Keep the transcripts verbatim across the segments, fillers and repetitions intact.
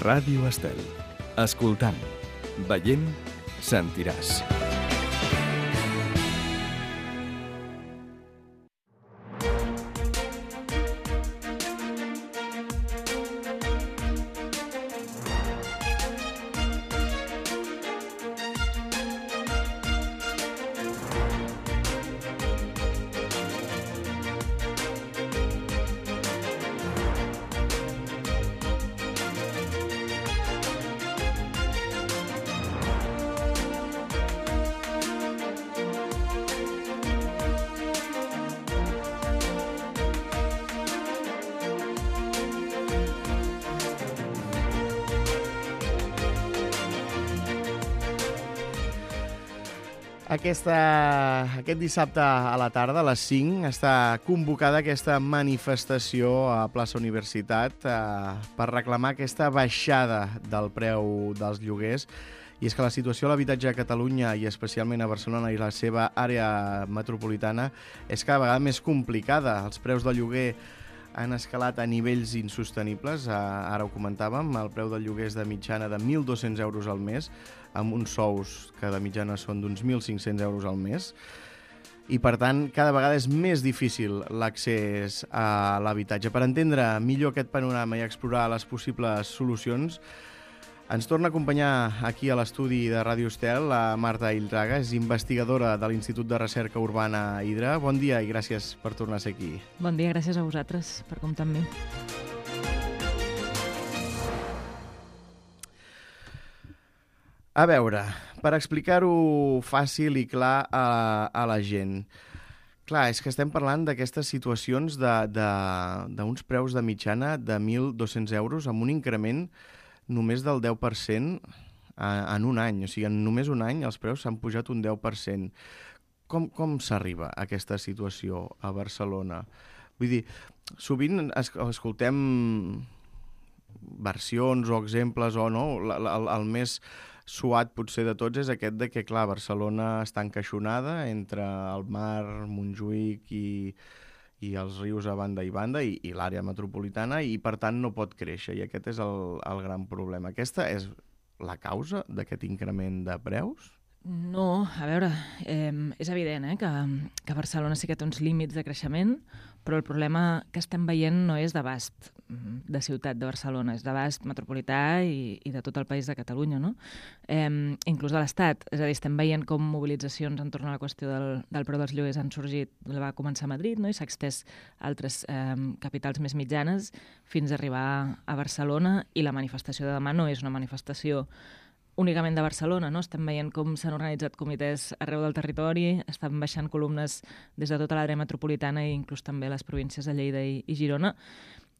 Ràdio Estel. Escoltant, veient, sentiràs. Aquesta, aquest dissabte a la tarda, a les cinc, està convocada aquesta manifestació a Plaça Universitat eh, per reclamar aquesta baixada del preu dels lloguers. I és que la situació a l'habitatge a Catalunya, i especialment a Barcelona i la seva àrea metropolitana, és cada vegada més complicada. Els preus del lloguer han escalat a nivells insostenibles. Ara ho comentàvem, el preu del lloguer és de mitjana de mil dos-cents euros al mes, amb uns sous que de mitjana són d'uns mil cinc-cents euros al mes. I, per tant, cada vegada és més difícil l'accés a l'habitatge. Per entendre millor aquest panorama i explorar les possibles solucions, ens torna a acompanyar aquí a l'estudi de Ràdio Estel la Marta Illraga, és investigadora de l'Institut de Recerca Urbana Hidra. Bon dia i gràcies per tornar a ser aquí. Bon dia, gràcies a vosaltres per comptar amb mi. A veure, per explicar-ho fàcil i clar a, a la gent. Clar, és que estem parlant d'aquestes situacions d'uns preus de mitjana de mil dos-cents euros amb un increment només del deu per cent en un any. O sigui, en només un any els preus s'han pujat un deu per cent. Com, com s'arriba a aquesta situació a Barcelona? Vull dir, sovint es, escoltem versions o exemples o no, el, el més suat potser de tots és aquest de que, clar, Barcelona està encaixonada entre el mar, Montjuïc i, i els rius a banda i banda i, i l'àrea metropolitana i, per tant, no pot créixer. I aquest és el, el gran problema. Aquesta és la causa d'aquest increment de preus? No, a veure, eh, és evident eh, que, que Barcelona sí que té uns límits de creixement, però el problema que estem veient no és d'abast de ciutat de Barcelona, és d'abast metropolità i, i de tot el país de Catalunya, no? Eh, inclús de l'Estat. És a dir, estem veient com mobilitzacions entorn a la qüestió del, del preu dels lloguers han sorgit, va començar a Madrid, no? I s'ha extès a altres eh, capitals més mitjanes fins a arribar a Barcelona, i la manifestació de demà no és una manifestació únicament de Barcelona, no? Estem veient com s'han organitzat comitès arreu del territori, estan baixant columnes des de tota l'àrea metropolitana i inclús també les províncies de Lleida i, i Girona.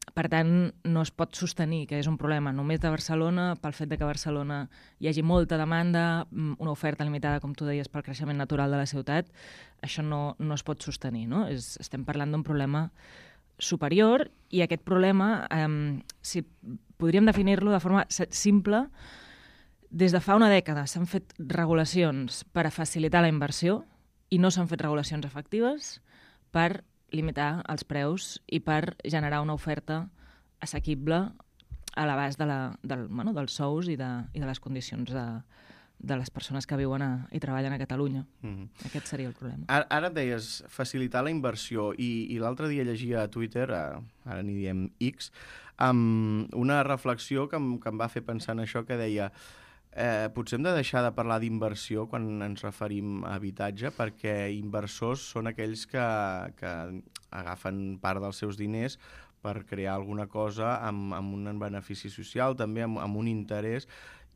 Per tant, no es pot sostenir que és un problema només de Barcelona pel fet de que a Barcelona hi hagi molta demanda, una oferta limitada, com tu deies, pel creixement natural de la ciutat. Això no, no es pot sostenir, no? És, estem parlant d'un problema superior i aquest problema, eh, si podríem definir-lo de forma simple, des de fa una dècada s'han fet regulacions per a facilitar la inversió i no s'han fet regulacions efectives per limitar els preus i per generar una oferta assequible a l'abast de la, del, bueno, dels sous i de, i de les condicions de, de les persones que viuen a, i treballen a Catalunya. Mm-hmm. Aquest seria el problema. Ara, ara deies facilitar la inversió i, i l'altre dia llegia a Twitter, a, ara n'hi diem X, amb una reflexió que em, que em va fer pensar en això, que deia Eh, potser hem de deixar de parlar d'inversió quan ens referim a habitatge, perquè inversors són aquells que, que agafen part dels seus diners per crear alguna cosa amb, amb un benefici social, també amb, amb un interès,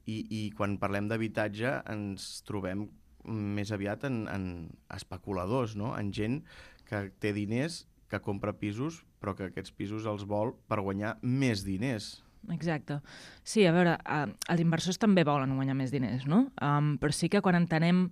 i, i quan parlem d'habitatge ens trobem més aviat en, en especuladors, no? En gent que té diners, que compra pisos, però que aquests pisos els vol per guanyar més diners. Exacte. Sí, a veure, eh, els inversors també volen guanyar més diners, no? Um, però sí que quan entenem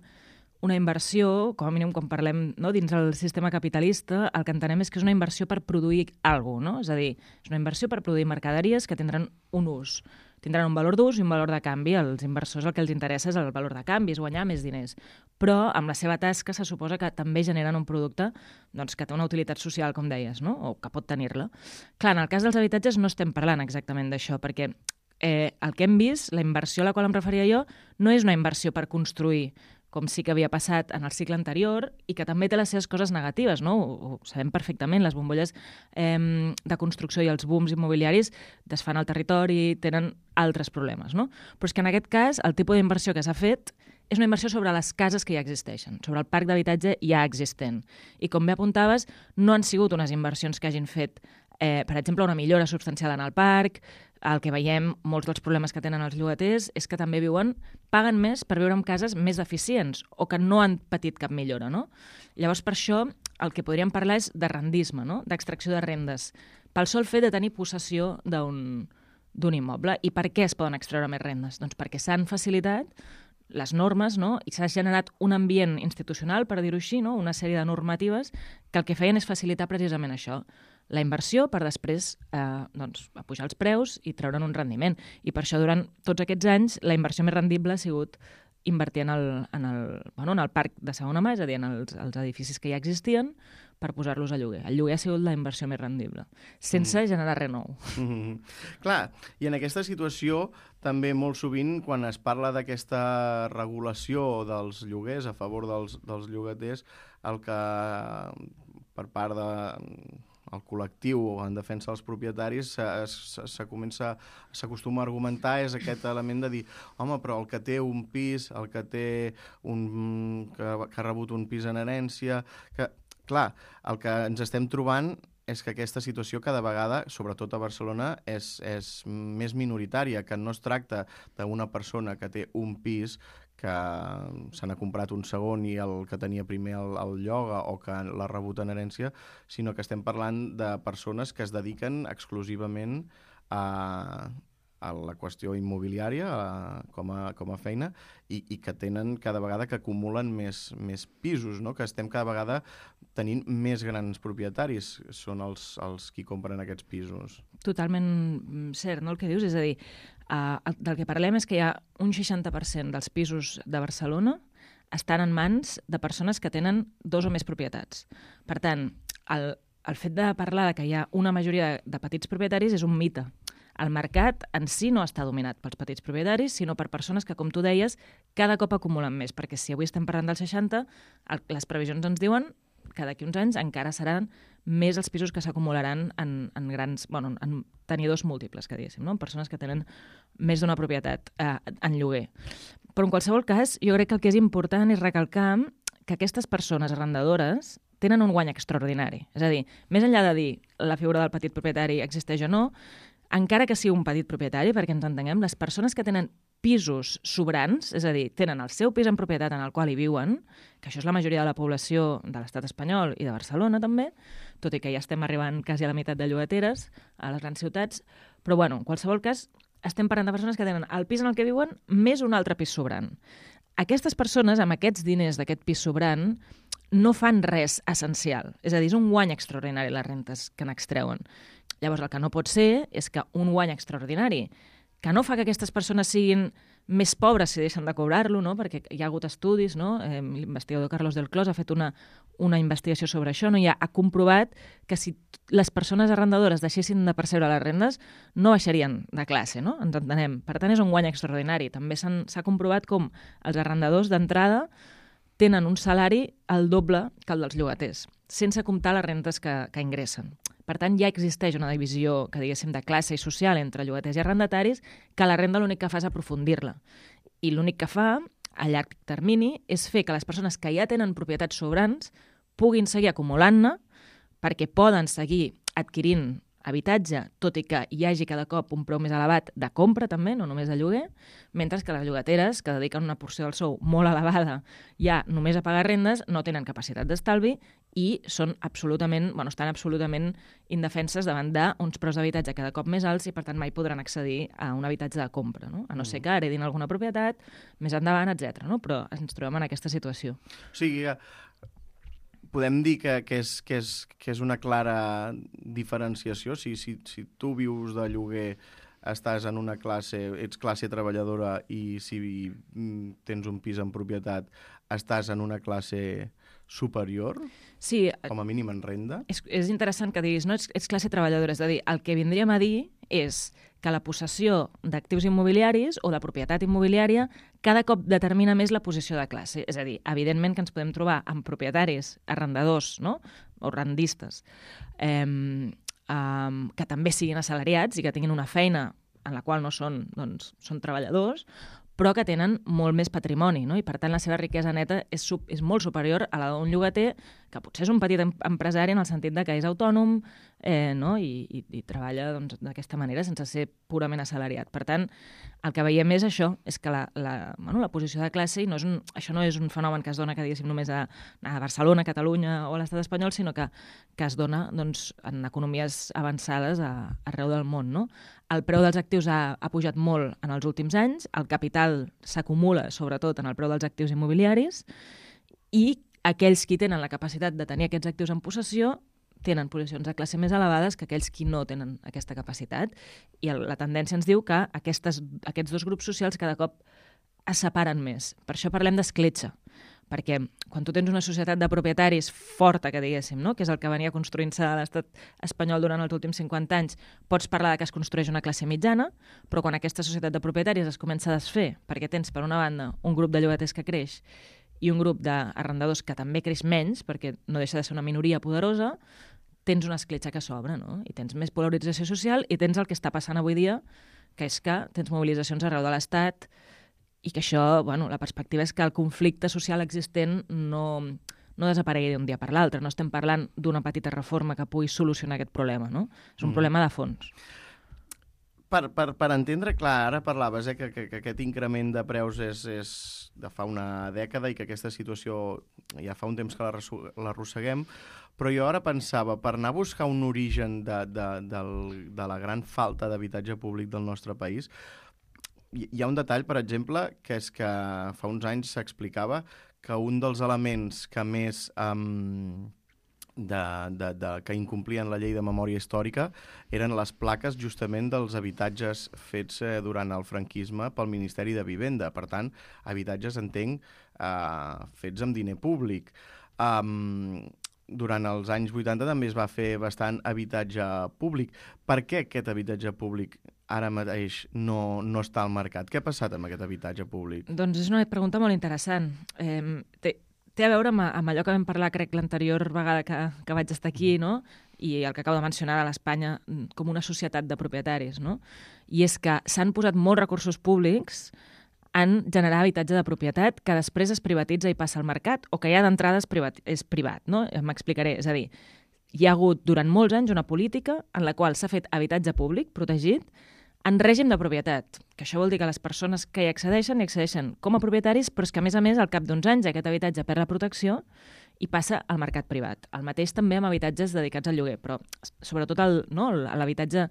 una inversió, com a mínim quan parlem, no, dins el sistema capitalista, el que entenem és que és una inversió per produir alguna cosa, no? És a dir, és una inversió per produir mercaderies que tindran un ús. Tindran un valor d'ús i un valor de canvi. Als inversors el que els interessa és el valor de canvi, és guanyar més diners. Però amb la seva tasca se suposa que també generen un producte doncs, que té una utilitat social, com deies, no? O que pot tenir-la. Clar, en el cas dels habitatges no estem parlant exactament d'això, perquè eh, el que hem vist, la inversió a la qual em referia jo, no és una inversió per construir, com sí que havia passat en el cicle anterior i que també té les seves coses negatives, no? Ho, ho sabem perfectament, les bombolles eh, de construcció i els booms immobiliaris desfan el territori, tenen altres problemes, no? Però és que en aquest cas el tipus d'inversió que s'ha fet és una inversió sobre les cases que ja existeixen, sobre el parc d'habitatge ja existent. I com bé apuntaves, no han sigut unes inversions que hagin fet, eh, per exemple, una millora substancial en el parc. El que veiem, molts dels problemes que tenen els llogaters és que també viuen, paguen més per viure en cases més eficients o que no han patit cap millora, no? Llavors, per això, el que podríem parlar és de rendisme, no? D'extracció de rendes, pel sol fet de tenir possessió d'un d'un immoble. I per què es poden extreure més rendes? Doncs perquè s'han facilitat les normes, no? I s'ha generat un ambient institucional, per dir-ho així, no? Una sèrie de normatives que el que feien és facilitar precisament això, la inversió per després eh, doncs, pujar els preus i treure'n un rendiment. I per això durant tots aquests anys la inversió més rendible ha sigut invertir en el, en el, bueno, en el parc de segona mà, és a dir, en els, els edificis que ja existien, per posar-los a lloguer. El lloguer ha sigut la inversió més rendible, sense mm. generar res nou. Mm-hmm. Clar, i en aquesta situació també molt sovint, quan es parla d'aquesta regulació dels lloguers a favor dels, dels llogaters, el que per part de el col·lectiu en defensa dels propietaris s'acostuma a argumentar és aquest element de dir, home, però el que té un pis, el que té un, que, que ha rebut un pis en herència, que, clar, el que ens estem trobant és que aquesta situació cada vegada, sobretot a Barcelona, és, és més minoritària, que no es tracta d'una persona que té un pis que se n'ha comprat un segon i el que tenia primer el, el lloga o que l'ha rebut en herència, sinó que estem parlant de persones que es dediquen exclusivament a, a la qüestió immobiliària a, com, a, com a feina i, i que tenen cada vegada que acumulen més, més pisos, no? Que estem cada vegada tenint més grans propietaris, són els, els qui compren aquests pisos. Totalment cert, no, el que dius? És a dir, Uh, del que parlem és que hi ha un seixanta per cent dels pisos de Barcelona estan en mans de persones que tenen dos o més propietats. Per tant, el, el fet de parlar de que hi ha una majoria de, de petits propietaris és un mite. El mercat en si no està dominat pels petits propietaris, sinó per persones que, com tu deies, cada cop acumulen més, perquè si avui estem parlant del seixanta, el, les previsions ens diuen que d'aquí uns anys encara seran més els pisos que s'acumularan en, en grans, bueno, en tenidors múltiples, que diguéssim, no? En persones que tenen més d'una propietat eh, en lloguer. Però en qualsevol cas, jo crec que el que és important és recalcar que aquestes persones arrendadores tenen un guany extraordinari. És a dir, més enllà de dir la figura del petit propietari existeix o no, encara que sigui un petit propietari, perquè ens entenguem, les persones que tenen pisos sobrants, és a dir, tenen el seu pis en propietat en el qual hi viuen, que això és la majoria de la població de l'estat espanyol i de Barcelona també, tot i que ja estem arribant quasi a la meitat de llogateres a les grans ciutats, però bueno, en qualsevol cas estem parlant de persones que tenen el pis en el que viuen més un altre pis sobrant. Aquestes persones, amb aquests diners d'aquest pis sobrant, no fan res essencial. És a dir, és un guany extraordinari les rentes que n'extreuen. Llavors, el que no pot ser és que un guany extraordinari que no fa que aquestes persones siguin més pobres si deixen de cobrar-lo, no? Perquè hi ha hagut estudis, no? Eh, l'investigador Carlos del Clos ha fet una, una investigació sobre això, no? I ha, ha comprovat que si les persones arrendadores deixessin de percebre les rendes, no baixarien de classe, no? Ens entenem. Per tant, és un guany extraordinari. També s'ha comprovat com els arrendadors d'entrada tenen un salari el doble que el dels llogaters, sense comptar les rentes que, que ingressen. Per tant, ja existeix una divisió, que diguéssim, de classe i social entre llogaters i arrendataris, que la renda l'únic que fa és aprofundir-la. I l'únic que fa, a llarg termini, és fer que les persones que ja tenen propietats sobrants puguin seguir acumulant-ne perquè poden seguir adquirint habitatge, tot i que hi hagi cada cop un preu més elevat de compra també, no només de lloguer, mentre que les llogateres, que dediquen una porció del sou molt elevada ja només a pagar rendes, no tenen capacitat d'estalvi i són absolutament, bueno, estan absolutament indefenses davant d'uns preus d'habitatge cada cop més alts i per tant mai podran accedir a un habitatge de compra, no? A no ser que heredin alguna propietat més endavant, etcètera. No? Però ens trobem en aquesta situació. O sigui, podem dir que, que, és, que, és, que és una clara diferenciació. Si, si, si tu vius de lloguer, estàs en una classe, ets classe treballadora i si tens un pis en propietat, estàs en una classe superior, sí, com a mínim en renda. És, és interessant que diguis, no, ets, ets classe treballadora, és a dir, el que vindríem a dir és que la possessió d'actius immobiliaris o de propietat immobiliària cada cop determina més la posició de classe. És a dir, evidentment que ens podem trobar amb propietaris, arrendadors, no? O rendistes, eh, eh, que també siguin assalariats i que tinguin una feina en la qual no són, doncs, són treballadors, però que tenen molt més patrimoni, no? I per tant la seva riquesa neta és, sub, és molt superior a la d'un llogater, que potser és un petit em empresari en el sentit de que és autònom, eh, no? I, i, i treballa doncs, d'aquesta manera sense ser purament assalariat. Per tant, el que veiem és això, és que la, la, bueno, la posició de classe, i no és un, això no és un fenomen que es dona que diguéssim només a, a Barcelona, Catalunya o a l'estat espanyol, sinó que, que es dona doncs, en economies avançades a, arreu del món, no? El preu dels actius ha, ha pujat molt en els últims anys, el capital s'acumula sobretot en el preu dels actius immobiliaris i aquells qui tenen la capacitat de tenir aquests actius en possessió tenen posicions de classe més elevades que aquells qui no tenen aquesta capacitat. I el, la tendència ens diu que aquestes, aquests dos grups socials cada cop es separen més. Per això parlem d'escletxa, perquè quan tu tens una societat de propietaris forta, que diguéssim, no? Que és el que venia construint-se a l'estat espanyol durant els últims cinquanta anys, pots parlar de que es construeix una classe mitjana, però quan aquesta societat de propietaris es comença a desfer, perquè tens, per una banda, un grup de llogaters que creix i un grup d'arrendadors que també creix menys, perquè no deixa de ser una minoria poderosa, tens una escletxa que s'obre, no? I tens més polarització social i tens el que està passant avui dia, que és que tens mobilitzacions arreu de l'Estat i que això, bueno, la perspectiva és que el conflicte social existent no, no desaparegui d'un dia per l'altre. No estem parlant d'una petita reforma que pugui solucionar aquest problema, no? És un mm. problema de fons. Per, per, per entendre, clar, ara parlaves eh, que, que, que aquest increment de preus és, és de fa una dècada i que aquesta situació ja fa un temps que l'arrosseguem, però jo ara pensava, per anar a buscar un origen de, de, de, de la gran falta d'habitatge públic del nostre país, hi ha un detall, per exemple, que és que fa uns anys s'explicava que un dels elements que més... Um, De, de, de, que incomplien la llei de memòria històrica eren les plaques justament dels habitatges fets eh, durant el franquisme pel Ministeri de Vivenda. Per tant, habitatges, entenc, eh, fets amb diner públic. Um, durant els anys vuitanta també es va fer bastant habitatge públic. Per què aquest habitatge públic ara mateix no, no està al mercat? Què ha passat amb aquest habitatge públic? Doncs és una pregunta molt interessant. Eh, té... Té a veure amb, amb allò que vam parlar, crec, l'anterior vegada que, que vaig estar aquí, no? I el que acabo de mencionar de l'Espanya com una societat de propietaris, no? I és que s'han posat molts recursos públics en generar habitatge de propietat que després es privatitza i passa al mercat o que ja d'entrada és, privat, és privat, no? M'explicaré. És a dir, hi ha hagut durant molts anys una política en la qual s'ha fet habitatge públic protegit en règim de propietat, que això vol dir que les persones que hi accedeixen, hi accedeixen com a propietaris, però és que, a més a més, al cap d'uns anys aquest habitatge perd la protecció i passa al mercat privat. El mateix també amb habitatges dedicats al lloguer, però sobretot el, no, l'habitatge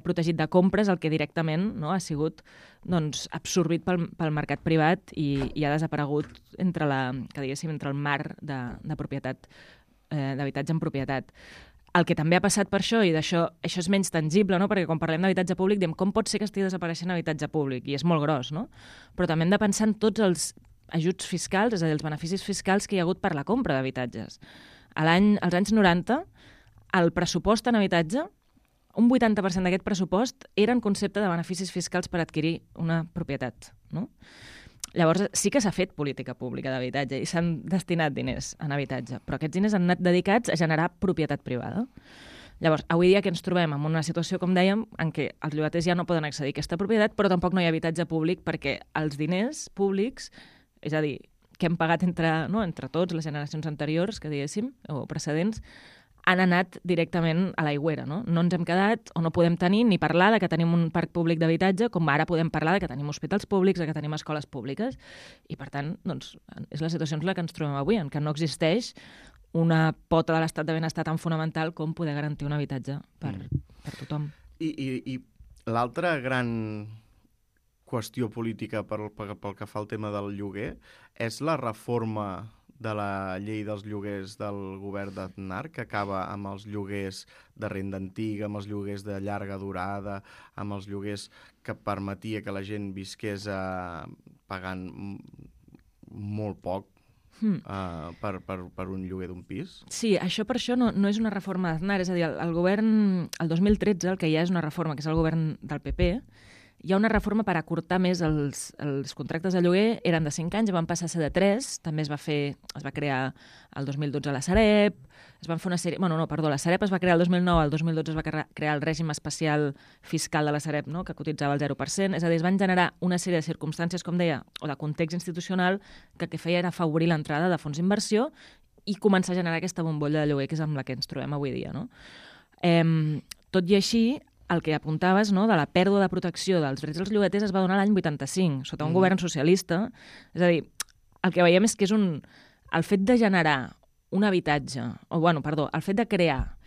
protegit de compra és el que directament no, ha sigut doncs, absorbit pel, pel mercat privat i, i ha desaparegut entre, la, que diguéssim, entre el mar de, de propietat, eh, d'habitatge en propietat. El que també ha passat per això, i d'això això és menys tangible, no? Perquè quan parlem d'habitatge públic diem com pot ser que estigui desapareixent habitatge públic, i és molt gros, no? Però també hem de pensar en tots els ajuts fiscals, és a dir, els beneficis fiscals que hi ha hagut per la compra d'habitatges. Als anys noranta, el pressupost en habitatge, un vuitanta per cent d'aquest pressupost era en concepte de beneficis fiscals per adquirir una propietat, no? Llavors, sí que s'ha fet política pública d'habitatge i s'han destinat diners en habitatge, però aquests diners han anat dedicats a generar propietat privada. Llavors, avui dia que ens trobem en una situació, com dèiem, en què els llogaters ja no poden accedir a aquesta propietat, però tampoc no hi ha habitatge públic perquè els diners públics, és a dir, que hem pagat entre, no, entre tots, les generacions anteriors, que diguéssim, o precedents, han anat directament a l'aigüera, no? No ens hem quedat o no podem tenir ni parlar de que tenim un parc públic d'habitatge, com ara podem parlar de que tenim hospitals públics, de que tenim escoles públiques, i per tant, doncs, és la situació en la que ens trobem avui, en què no existeix una pota de l'estat de benestar tan fonamental com poder garantir un habitatge per, mm. per tothom. I, i, i l'altra gran qüestió política pel, pel que fa al tema del lloguer és la reforma de la llei dels lloguers del govern d'Aznar, que acaba amb els lloguers de renda antiga, amb els lloguers de llarga durada, amb els lloguers que permetia que la gent visqués eh, pagant molt poc, mm. uh, per, per, per un lloguer d'un pis? Sí, això per això no, no és una reforma d'Aznar, és a dir, el, el govern, el dos mil tretze, el que hi ha és una reforma, que és el govern del P P, hi ha una reforma per acortar més els, els contractes de lloguer, eren de cinc anys, van passar a ser de tres, també es va fer, es va crear el dos mil dotze la Sareb, es van fer una sèrie... Bueno, no, perdó, la Sareb es va crear el dos mil nou, el dos mil dotze es va crear el règim especial fiscal de la Sareb, no?, que cotitzava el zero per cent, és a dir, es van generar una sèrie de circumstàncies, com deia, o de context institucional, que el que feia era afavorir l'entrada de fons d'inversió i començar a generar aquesta bombolla de lloguer, que és amb la que ens trobem avui dia, no? Eh, tot i així, el que apuntaves, no?, de la pèrdua de protecció dels drets dels llogaters es va donar l'any vuitanta-cinc, sota un mm. govern socialista. És a dir, el que veiem és que és un... El fet de generar un habitatge, o, bueno, perdó, el fet de crear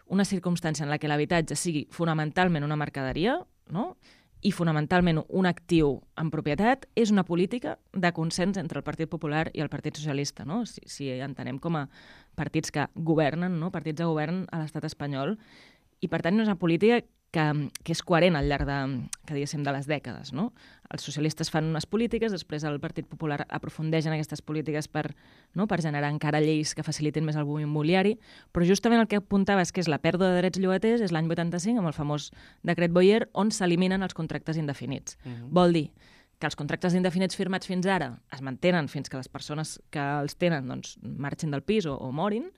una circumstància en la que l'habitatge sigui fonamentalment una mercaderia, no?, i fonamentalment un actiu en propietat, és una política de consens entre el Partit Popular i el Partit Socialista, no?, si, si entenem com a partits que governen, no?, partits de govern a l'estat espanyol. I, per tant, no és una política que, que és coherent al llarg de, que diguéssim, de les dècades, no? Els socialistes fan unes polítiques, després el Partit Popular aprofundeix en aquestes polítiques per, no?, per generar encara lleis que facilitin més el boom immobiliari, però justament el que apuntaves, que és la pèrdua de drets llogaters, és l'any vuitanta-cinc, amb el famós decret Boyer, on s'eliminen els contractes indefinits. Uh-huh. Vol dir que els contractes indefinits firmats fins ara es mantenen fins que les persones que els tenen, doncs, marxin del pis o, o morin,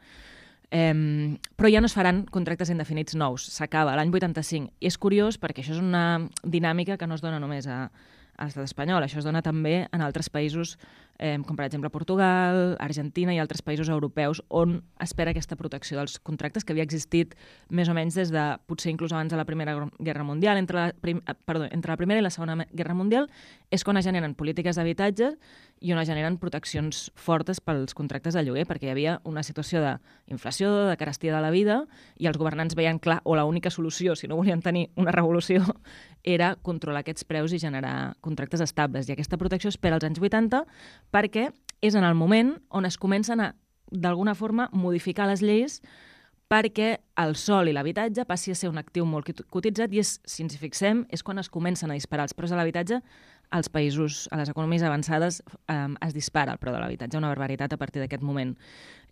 Eh, però ja no es faran contractes indefinits nous. S'acaba l'any vuitanta-cinc. I és curiós perquè això és una dinàmica que no es dona només a, a l'estat espanyol. Això es dona també en altres països, eh, com per exemple Portugal, Argentina i altres països europeus, on espera aquesta protecció dels contractes que havia existit més o menys des de, potser inclús abans de la Primera Guerra Mundial. Entre la, prim, perdó, entre la Primera i la Segona Guerra Mundial és quan es generen polítiques d'habitatge i on es generen proteccions fortes pels contractes de lloguer, perquè hi havia una situació d'inflació, de carestia de la vida, i els governants veien clar, o l'única solució, si no volien tenir una revolució, era controlar aquests preus i generar contractes estables. I aquesta protecció es per als anys vuitanta perquè és en el moment on es comencen a, d'alguna forma, modificar les lleis perquè el sòl i l'habitatge passi a ser un actiu molt cotitzat i, és, si ens hi fixem, és quan es comencen a disparar els preus de l'habitatge als països, a les economies avançades, eh, es dispara el preu de l'habitatge, una barbaritat a partir d'aquest moment.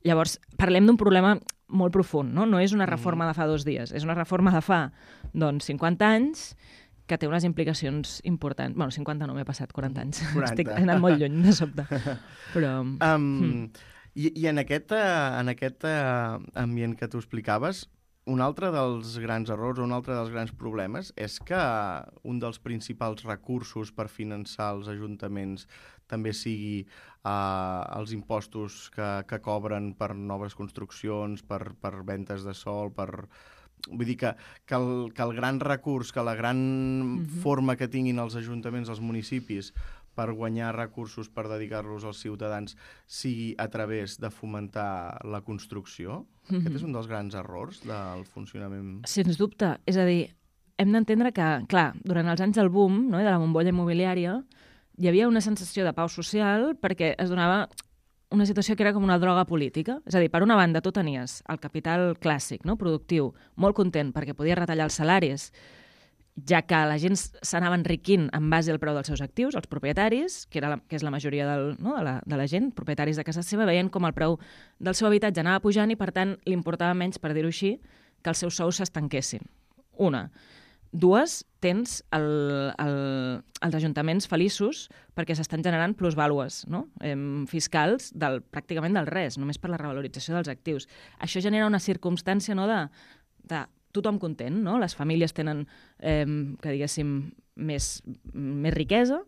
Llavors, parlem d'un problema molt profund, no? No és una reforma de fa dos dies, és una reforma de fa, doncs, cinquanta anys, que té unes implicacions importants. Bueno, cinquanta no, m'he passat quaranta anys. quaranta. Estic anant molt lluny, de sobte. Però... Um, mm. I, I en aquest, en aquest ambient que tu explicaves, un altre dels grans errors o un altre dels grans problemes és que un dels principals recursos per finançar els ajuntaments també sigui uh, els impostos que, que cobren per noves construccions, per, per ventes de sòl, per... Vull dir que, que, el, que el gran recurs, que la gran mm-hmm. forma que tinguin els ajuntaments, els municipis, per guanyar recursos, per dedicar-los als ciutadans, sigui a través de fomentar la construcció. Mm-hmm. Aquest és un dels grans errors del funcionament. Sens dubte. És a dir, hem d'entendre que, clar, durant els anys del boom, no, de la bombolla immobiliària, hi havia una sensació de pau social perquè es donava una situació que era com una droga política. És a dir, per una banda, tu tenies el capital clàssic, no, productiu, molt content perquè podia retallar els salaris, ja que la gent s'anava enriquint en base al preu dels seus actius, els propietaris, que, era la, que és la majoria del, no, de, la, de la gent, propietaris de casa seva, veien com el preu del seu habitatge anava pujant i, per tant, li importava menys, per dir-ho així, que els seus sous s'estanquessin. Una. Dues, tens el, el, els ajuntaments feliços perquè s'estan generant plusvàlues, no? eh, fiscals del, pràcticament del res, només per la revalorització dels actius. Això genera una circumstància, no, de, de tothom content, no? Les famílies tenen, eh, que diguéssim, més, més riquesa,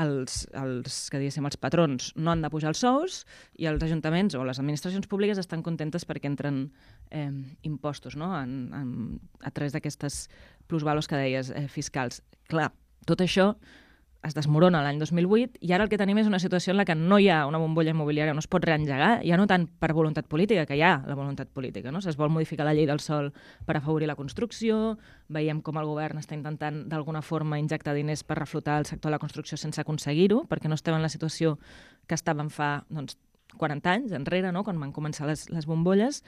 els, els, que diguéssim, els patrons no han de pujar els sous i els ajuntaments o les administracions públiques estan contentes perquè entren eh, impostos, no? en, en, a través d'aquestes plusvalos que deies, eh, fiscals. Clar, tot això es desmorona l'any dos mil vuit i ara el que tenim és una situació en la que no hi ha una bombolla immobiliària, no es pot reengegar, ja no tant per voluntat política, que hi ha la voluntat política, no? Es vol modificar la llei del sòl per afavorir la construcció, veiem com el govern està intentant d'alguna forma injectar diners per reflotar el sector de la construcció sense aconseguir-ho, perquè no estem en la situació que estàvem fa, doncs, quaranta anys enrere, no? Quan van començar les, les bombolles.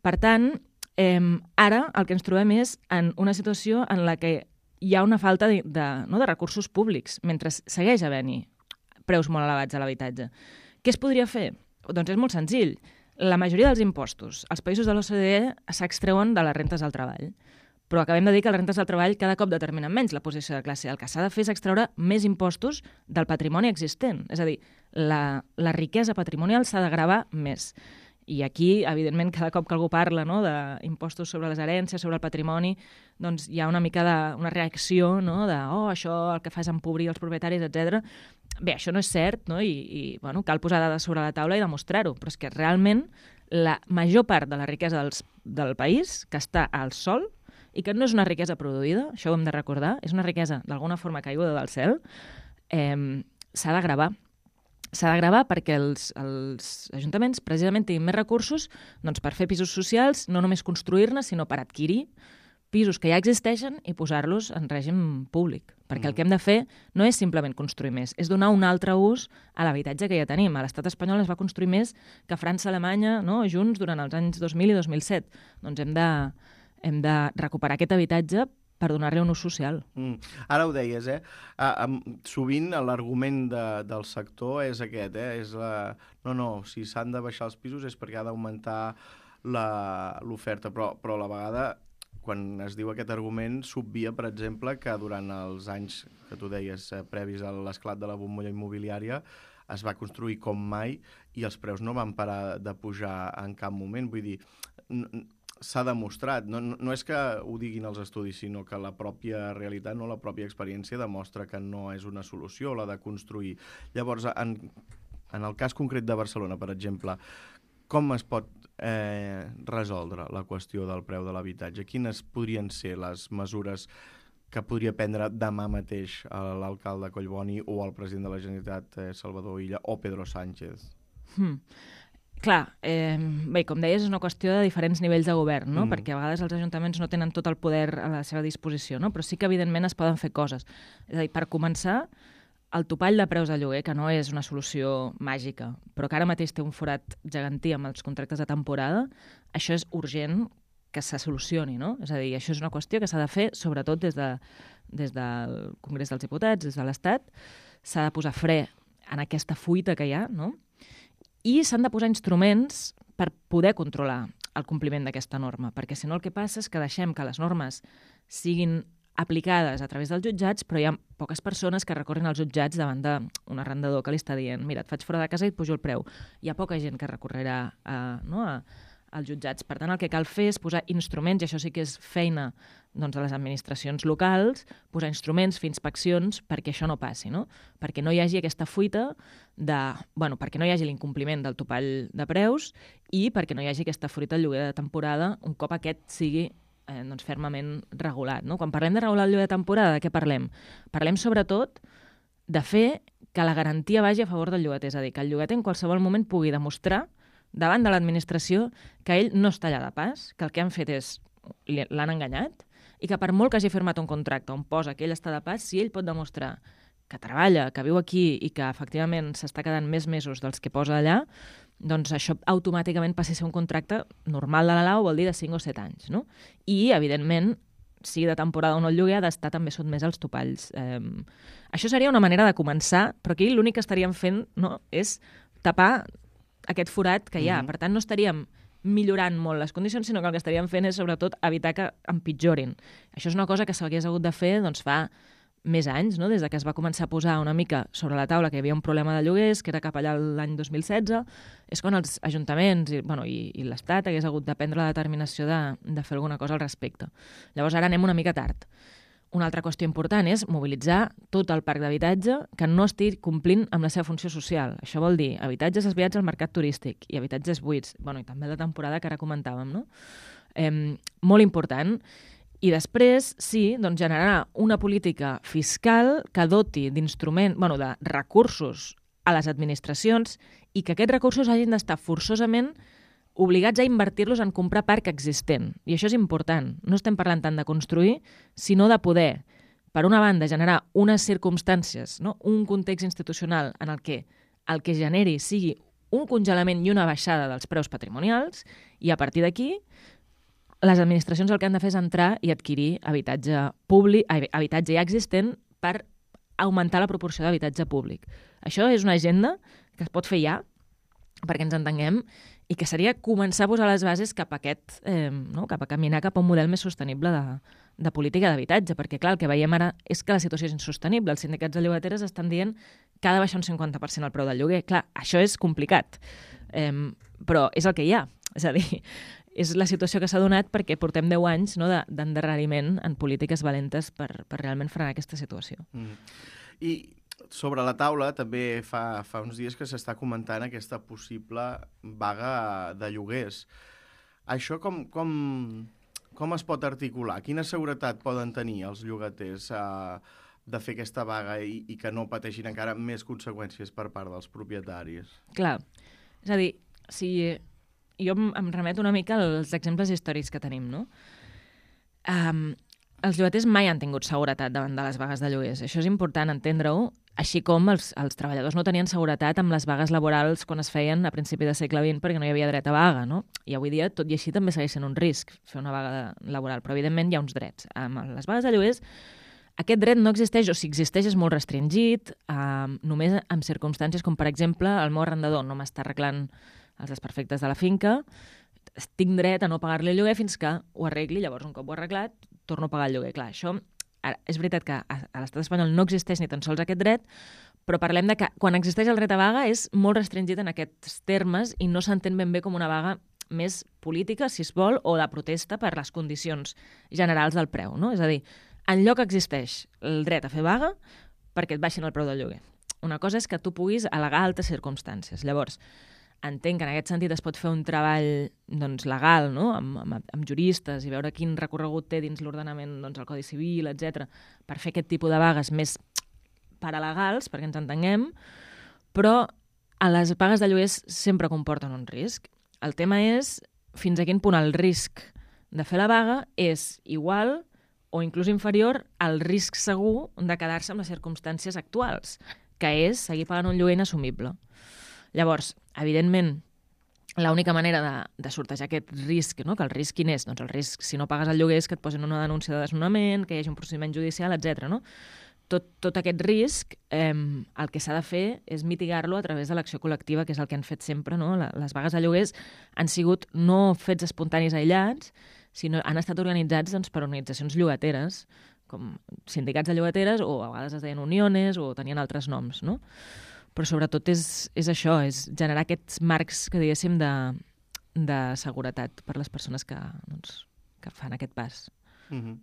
Per tant, eh, ara el que ens trobem és en una situació en la que hi ha una falta de, de, no, de recursos públics, mentre segueix havent-hi preus molt elevats a l'habitatge. Què es podria fer? Doncs és molt senzill. La majoria dels impostos als països de l'O C D E s'extreuen de les rentes del treball. Però acabem de dir que les rentes del treball cada cop determinen menys la posició de classe. El que s'ha de fer és extreure més impostos del patrimoni existent. És a dir, la, la riquesa patrimonial s'ha de gravar més. I aquí, evidentment, cada cop que algú parla, no, d'impostos sobre les herències, sobre el patrimoni, doncs hi ha una mica de, una reacció, no, de oh, això el que fa és empobrir els propietaris, etcètera. Bé, això no és cert, no? I, i bueno, cal posar dades sobre la taula i demostrar-ho, però és que realment la major part de la riquesa dels, del país que està al sol i que no és una riquesa produïda, això ho hem de recordar, és una riquesa d'alguna forma caiguda del cel, eh, s'ha de gravar. S'ha de gravar perquè els, els ajuntaments precisament tinguin més recursos doncs, per fer pisos socials, no només construir-ne, sinó per adquirir pisos que ja existeixen i posar-los en règim públic. Perquè mm. el que hem de fer no és simplement construir més, és donar un altre ús a l'habitatge que ja tenim. A l'estat espanyol es va construir més que França i Alemanya, no?, junts durant els anys dos mil i dos mil set. Doncs hem de, hem de recuperar aquest habitatge per donar-li un ús social. Mm. Ara ho deies, eh? Ah, um, sovint l'argument de, del sector és aquest, eh? És la... No, no, si s'han de baixar els pisos és perquè ha d'augmentar l'oferta, però, però a la vegada, quan es diu aquest argument, s'obvia, per exemple, que durant els anys que tu deies, eh, previs a l'esclat de la bombolla immobiliària, es va construir com mai i els preus no van parar de pujar en cap moment. Vull dir, s'ha demostrat, no, no, no és que ho diguin els estudis, sinó que la pròpia realitat, no, la pròpia experiència demostra que no és una solució la de construir. Llavors, en, en el cas concret de Barcelona, per exemple, com es pot eh, resoldre la qüestió del preu de l'habitatge? Quines podrien ser les mesures que podria prendre demà mateix l'alcalde Collboni o el president de la Generalitat, eh, Salvador Illa, o Pedro Sánchez? Hmm. Clar, eh, bé, com deies, és una qüestió de diferents nivells de govern, no? Mm. Perquè a vegades els ajuntaments no tenen tot el poder a la seva disposició, no? Però sí que, evidentment, es poden fer coses. És a dir, per començar, el topall de preus de lloguer, que no és una solució màgica, però que ara mateix té un forat gegantí amb els contractes de temporada, això és urgent que se solucioni, no? És a dir, això és una qüestió que s'ha de fer, sobretot des, de, des del Congrés dels Diputats, des de l'Estat, s'ha de posar fre en aquesta fuita que hi ha, no? I s'han de posar instruments per poder controlar el compliment d'aquesta norma, perquè si no el que passa és que deixem que les normes siguin aplicades a través dels jutjats, però hi ha poques persones que recorren als jutjats davant d'un arrendador que li està dient mira, et faig fora de casa i et pujo el preu. Hi ha poca gent que recorrerà a, no, a, als jutjats. Per tant, el que cal fer és posar instruments, i això sí que és feina doncs, de les administracions locals, posar instruments, fer inspeccions perquè això no passi, no? Perquè no hi hagi aquesta fuita de... Bueno, perquè no hi hagi l'incompliment del topall de preus i perquè no hi hagi aquesta fuita del lloguer de temporada un cop aquest sigui eh, doncs, fermament regulat, no? Quan parlem de regular el lloguer de temporada, de què parlem? Parlem sobretot de fer que la garantia vagi a favor del llogater, és a dir, que el llogater en qualsevol moment pugui demostrar davant de l'administració que ell no està allà de pas, que el que han fet és l'han enganyat i que per molt que hagi firmat un contracte on posa que ell està de pas, si ell pot demostrar que treballa, que viu aquí i que efectivament s'està quedant més mesos dels que posa allà, doncs això automàticament passi a ser un contracte normal de la Lau, vol dir de cinc o set anys, no? I, evidentment, sigui de temporada o no el lloguer, ha d'estar també sotmès als topalls. Eh, això seria una manera de començar, però aquí l'únic que estaríem fent, no, és tapar aquest forat que hi ha. Mm-hmm. Per tant, no estaríem millorant molt les condicions, sinó que el que estaríem fent és, sobretot, evitar que empitjorin. Això és una cosa que s'hagués hagut de fer doncs, fa més anys, no? Des de que es va començar a posar una mica sobre la taula que hi havia un problema de lloguers, que era cap allà l'any dos mil setze, és quan els ajuntaments i, bueno, i, i l'Estat hagués hagut de prendre la determinació de, de fer alguna cosa al respecte. Llavors ara anem una mica tard. Una altra qüestió important és mobilitzar tot el parc d'habitatge que no estigui complint amb la seva funció social. Això vol dir habitatges desviats al mercat turístic i habitatges buits, bueno, i també la temporada que ara comentàvem, no? Eh, molt important. I després, sí, doncs generar una política fiscal que doti d'instrument, bueno, de recursos a les administracions i que aquests recursos hagin d'estar forçosament obligats a invertir-los en comprar parc existent. I això és important. No estem parlant tant de construir, sinó de poder, per una banda, generar unes circumstàncies, no? Un context institucional en el que el que generi sigui un congelament i una baixada dels preus patrimonials i, a partir d'aquí, les administracions el que han de fer és entrar i adquirir habitatge públic, habitatge ja existent per augmentar la proporció d'habitatge públic. Això és una agenda que es pot fer ja, perquè ens entenguem, i que seria començar a posar les bases cap a aquest, eh, no? cap a caminar cap a un model més sostenible de, de política d'habitatge, perquè clar, el que veiem ara és que la situació és insostenible. Els sindicats de llogateres estan dient que ha de baixar un cinquanta per cent el preu del lloguer. Clar, això és complicat, eh, però és el que hi ha. És a dir, és la situació que s'ha donat perquè portem deu anys, no, de, d'endarreriment en polítiques valentes per, per realment frenar aquesta situació. Mm. I sobre la taula també fa, fa uns dies que s'està comentant aquesta possible vaga de lloguers. Això com, com, com es pot articular? Quina seguretat poden tenir els llogaters eh, de fer aquesta vaga i, i que no pateixin encara més conseqüències per part dels propietaris? Clar, és a dir, si jo em, em remeto una mica als exemples històrics que tenim, no? Um, els llogaters mai han tingut seguretat davant de les vagues de lloguers. Això és important entendre-ho, així com els, els treballadors no tenien seguretat amb les vagues laborals quan es feien a principi del segle vint perquè no hi havia dret a vaga, no? I avui dia, tot i així, també segueix sent un risc fer una vaga laboral, però evidentment hi ha uns drets. Amb les vagues de lloguers, aquest dret no existeix, o si existeix és molt restringit, eh, només en circumstàncies com, per exemple, el meu arrendador no m'està arreglant els desperfectes de la finca, tinc dret a no pagar-li el lloguer fins que ho arregli, llavors un cop ho he arreglat, torno a pagar el lloguer. Clar, això, ara, és veritat que a, a l'estat espanyol no existeix ni tan sols aquest dret, però parlem de que quan existeix el dret a vaga és molt restringit en aquests termes i no s'entén ben bé com una vaga més política, si es vol, o de protesta per les condicions generals del preu, no? És a dir, enlloc existeix el dret a fer vaga perquè et baixin el preu del lloguer. Una cosa és que tu puguis al·legar altres circumstàncies. Llavors, entenc que en aquest sentit es pot fer un treball doncs, legal, no? amb, amb, amb juristes i veure quin recorregut té dins l'ordenament, doncs, el Codi Civil, etcètera, per fer aquest tipus de vagues més paralegals, perquè ens entenguem, però a les vagues de lloguers sempre comporten un risc. El tema és fins a quin punt el risc de fer la vaga és igual o inclús inferior al risc segur de quedar-se amb les circumstàncies actuals, que és seguir pagant un lloguer inassumible. Llavors, evidentment, l'única manera de, de sortejar aquest risc, no? Que el risc quin és? Doncs el risc, si no pagues el lloguer, és que et posin una denúncia de desnonament, que hi hagi un procediment judicial, etcètera. No? Tot, tot aquest risc, eh, el que s'ha de fer és mitigar-lo a través de l'acció col·lectiva, que és el que han fet sempre. No? Les vagues de lloguers han sigut no fets espontanis aïllats, sinó han estat organitzats doncs, per organitzacions llogateres, com sindicats de llogateres, o a vegades es deien uniones, o tenien altres noms, no? Però sobretot és, és això, és generar aquests marcs, que diguéssim, de, de seguretat per les persones que, doncs, que fan aquest pas. Mm-hmm.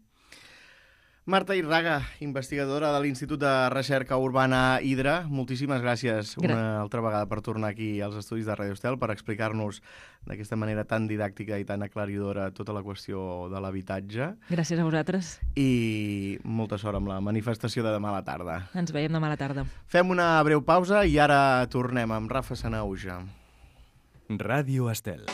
Marta Irraga, investigadora de l'Institut de Recerca Urbana Hidra, moltíssimes gràcies una Gra- altra vegada per tornar aquí als estudis de Radio Estel per explicar-nos d'aquesta manera tan didàctica i tan aclaridora tota la qüestió de l'habitatge. Gràcies a vosaltres. I molta sort amb la manifestació de demà a la tarda. Ens veiem demà a la tarda. Fem una breu pausa i ara tornem amb Rafa Sanauja. Ràdio Estel.